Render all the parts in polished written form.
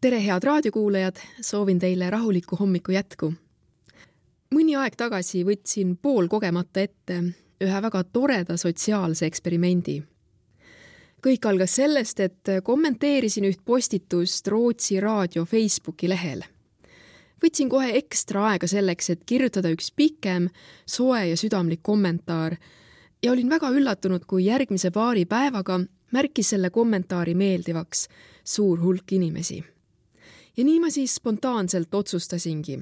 Tere, head raadiokuulajad, soovin teile rahulikku hommiku jätku. Mõni aeg tagasi võtsin poolkogemata ette ühe väga toreda sotsiaalse eksperimendi. Kõik algas sellest, et kommenteerisin üht postitust Rootsi raadio Facebooki lehel. Võtsin kohe ekstra aega selleks, et kirjutada üks pikem, soe ja südamlik kommentaar ja olin väga üllatunud, kui järgmise paari päevaga märkis selle kommentaari meeldivaks suur hulk inimesi. Ja nii ma siis spontaanselt otsustasingi,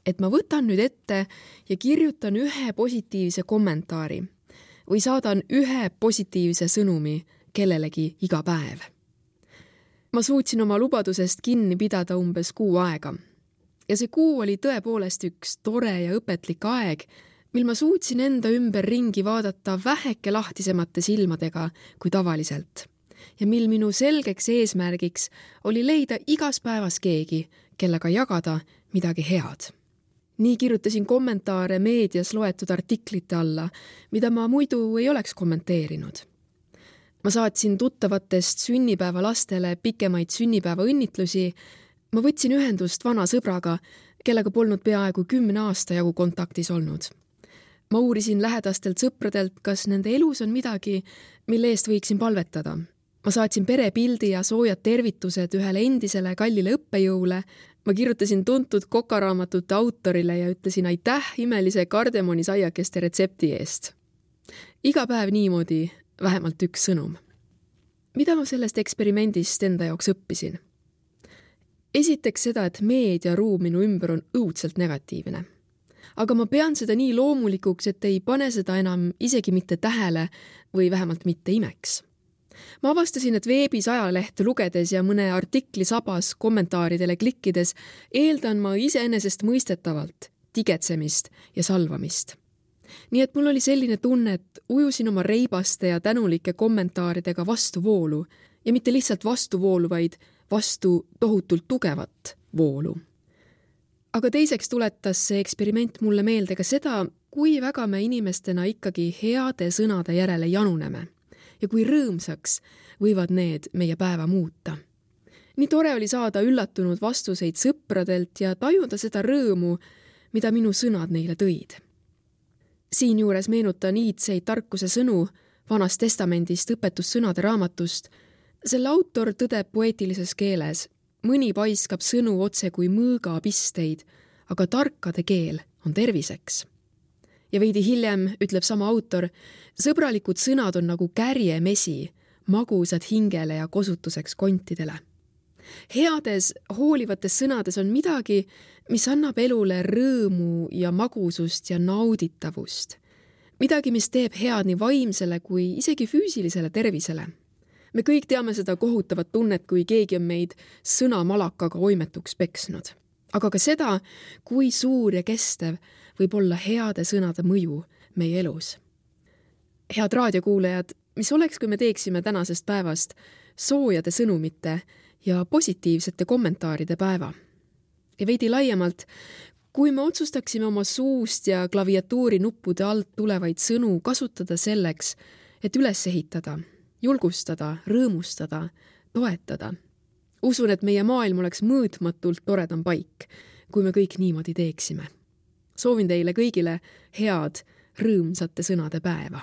et ma võtan nüüd ette ja kirjutan ühe positiivse kommentaari või saadan ühe positiivse sõnumi kellelegi iga päev. Ma suutsin oma lubadusest kinni pidada umbes kuu aega. Ja see kuu oli tõepoolest üks tore ja õpetlik aeg, mil ma suutsin enda ümber ringi vaadata väheke lahtisemate silmadega kui tavaliselt. Ja mil minu selgeks eesmärgiks oli leida igas päevas keegi, kellega jagada midagi head. Nii kirjutasin kommentaare meedias loetud artiklite alla, mida ma muidu ei oleks kommenteerinud. Ma saatsin tuttavatest sünnipäeva lastele pikemaid sünnipäeva õnnitlusi. Ma võtsin ühendust vana sõbraga, kellega polnud peaaegu 10 aasta jagu kontaktis olnud. Ma uurisin lähedastelt sõpradelt, kas nende elus on midagi, mille eest võiksin palvetada. Ma saatsin perepildi ja soojad tervitused ühele endisele kallile õppejõule. Ma kirjutasin tuntud kokaraamatute autorile ja ütlesin aitäh imelise kardemonisaiakeste retsepti eest. Iga päev niimoodi vähemalt üks sõnum. Mida ma sellest eksperimendist enda jaoks õppisin? Esiteks seda, et meediaruum minu ümber on õudselt negatiivne. Aga ma pean seda nii loomulikuks, et ei pane seda enam isegi mitte tähele või vähemalt mitte imeks. Ma avastasin, et veebis ajalehte lugedes ja mõne artikli sabas kommentaaridele klikkides eeldan ma iseenesest mõistetavalt tigetsemist ja salvamist. Nii et mul oli selline tunne, et ujusin oma reibaste ja tänulike kommentaaridega vastu voolu ja mitte lihtsalt vastu voolu, vaid vastu tohutult tugevat voolu. Aga teiseks tuletas see eksperiment mulle meelde ka seda, kui väga me inimestena ikkagi heade sõnade järele januneme. Ja kui rõõmsaks võivad need meie päeva muuta. Nii tore oli saada üllatunud vastuseid sõpradelt ja tajuda seda rõõmu, mida minu sõnad neile tõid. Siinjuures meenutan iidseid tarkuse sõnu Vanast testamendist õpetussõnade raamatust. Selle autor tõdeb poeetilises keeles, mõni paiskab sõnu otse kui mõõgapisteid, aga tarkade keel on terviseks. Ja veidi hiljem ütleb sama autor, sõbralikud sõnad on nagu kärjemesi, magusad hingele ja kosutuseks kontidele. Heades, hoolivates sõnades on midagi, mis annab elule rõõmu ja magusust ja nauditavust. Midagi, mis teeb head nii vaimsele kui isegi füüsilisele tervisele. Me kõik teame seda kohutavat tunnet, kui keegi on meid sõnamalakaga oimetuks peksnud. Aga ka seda, kui suur ja kestev võib olla heade sõnade mõju meie elus. Head raadiokuulajad, mis oleks, kui me teeksime tänasest päevast soojade sõnumite ja positiivsete kommentaaride päeva? Ja veidi laiemalt, kui me otsustaksime oma suust ja klaviatuuri nuppude alt tulevaid sõnu kasutada selleks, et üles ehitada, julgustada, rõõmustada, toetada. Usun, et meie maailm oleks mõõtmatult toredam paik, kui me kõik niimoodi teeksime. Soovin teile kõigile head, rõõmsate sõnade päeva.